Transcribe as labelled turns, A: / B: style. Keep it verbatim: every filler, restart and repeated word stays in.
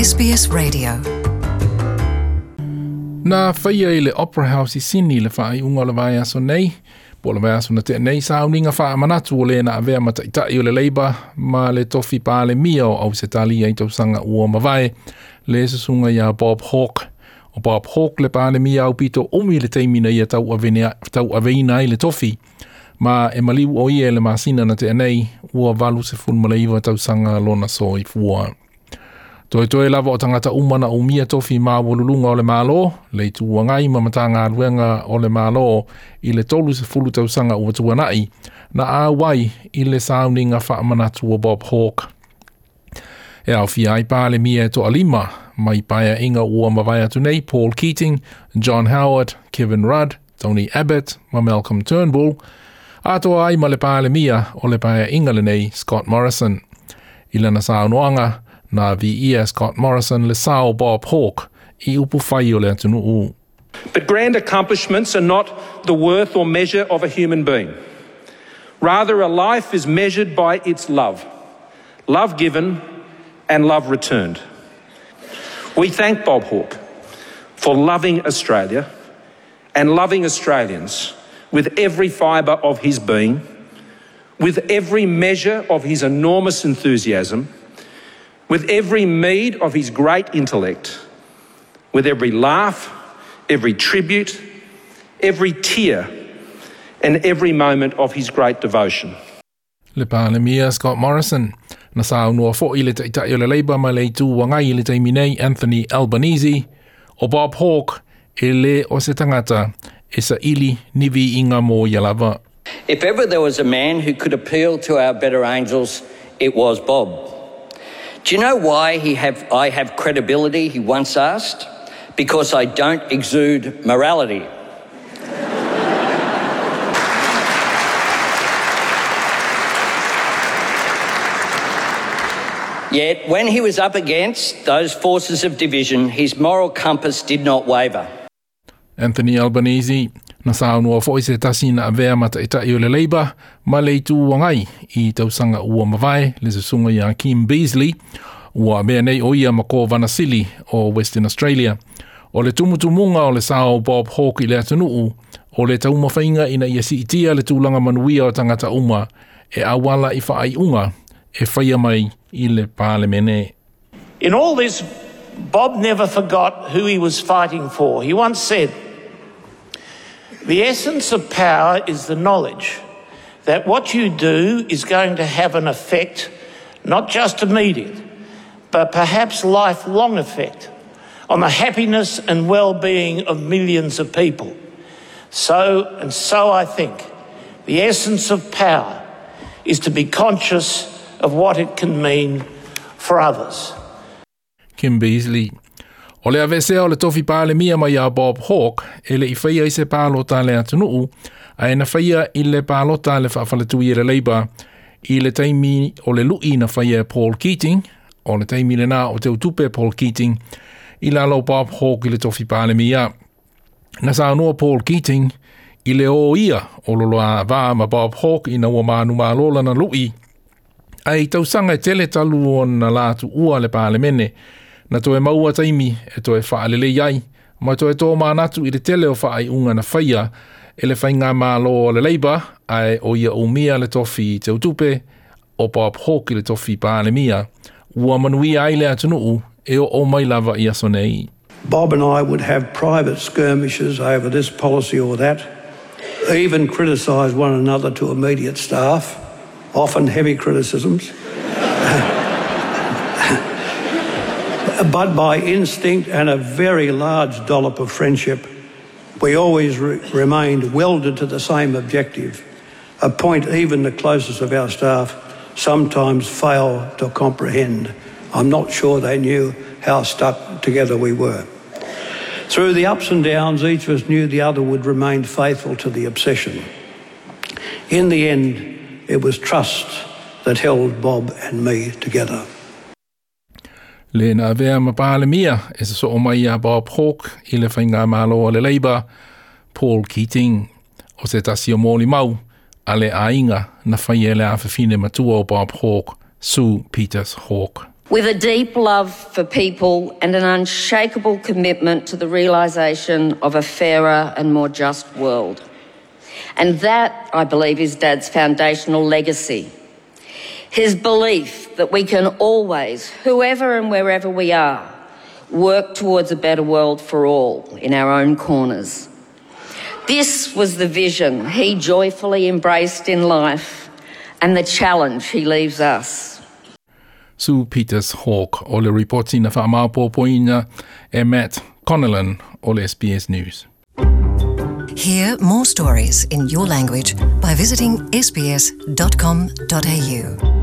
A: S B S Radio.
B: Na faia i le Opera House i Sydney le faaiuga o le vaiaso nei, po o le vaiaso na tea nei, sauniga faamanatu o le na avea ma taʻitaʻi o le Labour ma le tofi Palemia o Ausetalia i tausaga ua mavae, le susuga iā Bob Hawke. O Bob Hawke le Palemia aupito umi le taimi na ia tauaveina ai le tofi. Ma e maliu o ia le masina na tea nei, ua valu sefulu ma le iva tausaga lona soifua. Toetoe lava o tagata uma na umia tofi maualuluga o le Malo, le Itu Agai ma Matagaluega o le Malo i le tolu sefulu tausaga ua tuanaʻi, na auai i le sauniga faamanatu o Bob Hawke. E aofia ai Palemia e toalima mai paeaiga ua mavae atu nei, Paul Keating, John Howard, Kevin Rudd, Tony Abbott ma Malcolm Turnbull, atoa ai ma le Palemia o le paeaiga lenei, Scott Morrison. I lana saunoaga, na viia Scott Morrison le sao Bob Hawke i upufai o le atunuu.
C: But grand accomplishments are not the worth or measure of a human being. Rather, a life is measured by its love, love given and love returned. We thank Bob Hawke for loving Australia and loving Australians with every fibre of his being, with every measure of his enormous enthusiasm, with every meed of his great intellect, with every laugh, every tribute, every tear, and every moment of his great devotion.
B: Le Palemia Scott Morrison. Na saunoa foʻi le taʻitaʻi o le Labour ma le Itu Agai i le taimi nei, Anthony Albanese, o Bob Hawke e lē o se tagata e saʻili ni viiga mo ia lava.
D: If ever there was a man who could appeal to our better angels, it was Bob. "Do you know why he have, I have credibility?" he once asked. "Because I don't exude morality." Yet, when he was up against those forces of division, his moral compass did not waver.
B: Anthony Albanese. Na saunoa foʻi se tasi na avea ma taʻitaʻi o le Labour ma le Itu Agai i tausaga ua mavae, le susuga iā Kim Beazley, ua avea nei o ia ma Kovana Sili o Western Australia. O le tumutumuga o le sao Bob Hawke i le atunuu, o le taumafaiga ina ia siitia le tulaga manuia o tagata uma e auala i faaiuga e faia mai i le Palemene.
E: In all this, Bob never forgot who he was fighting for. He once said, "The essence of power is the knowledge that what you do is going to have an effect, not just immediate, but perhaps lifelong effect on the happiness and well-being of millions of people. So, and so I think, the essence of power is to be conscious of what it can mean for others."
B: Kim Beazley. O le aveesea o le tofi Palemia mai iā Bob Hawke, e leʻi faia i se palota le atunuu, ae na faia i le palota le faafaletui e le Labour i le taimi o le luʻi na faia e Paul Keating, o le taimi lenā o teutupe Paul Keating, i lalo Bob Hawke i le tofi Palemia. Na saunoa Paul Keating i le o ia o loloavā ma Bob Hawke ina ua manumalo lana luʻi, ae i tausaga e tele talu ona la tuua le Palemene, na toe maua taimi e toe faalelei ai, ma toe tōmanatu i le tele o faaiuga na faia e le faigamālō o le Labour, ae o ia umia le tofi teutupe, o Bob Hawke i le tofi Palemia, ua manuia ai le atunuu e oo mai lava i aso nei.
F: Bob and I would have private skirmishes over this policy or that, even criticise one another to immediate staff, often heavy criticisms. But by instinct and a very large dollop of friendship, we always re- remained welded to the same objective, a point even the closest of our staff sometimes fail to comprehend. I'm not sure they knew how stuck together we were. Through the ups and downs, each of us knew the other would remain faithful to the obsession. In the end, it was trust that held Bob and me together.
B: Le na avea ma Palemia e sosoo mai iā Bob Hawke i le faigamālō a le Labour, Paul Keating. O se tasi o molimau a le aiga na faia e le afafine matua o Bob Hawke, Sue Peters Hawke.
A: With a deep love for people and an unshakable commitment to the realisation of a fairer and more just world. And that, I believe, is Dad's foundational legacy. His belief that we can always, whoever and wherever we are, work towards a better world for all in our own corners. This was the vision he joyfully embraced in life and the challenge he leaves us.
B: Sue Peters Hawke o le ripoti na whaamaopoopoina e Matt Connellan o le S B S News.
G: Hear more stories in your language by visiting S B S dot com dot A U.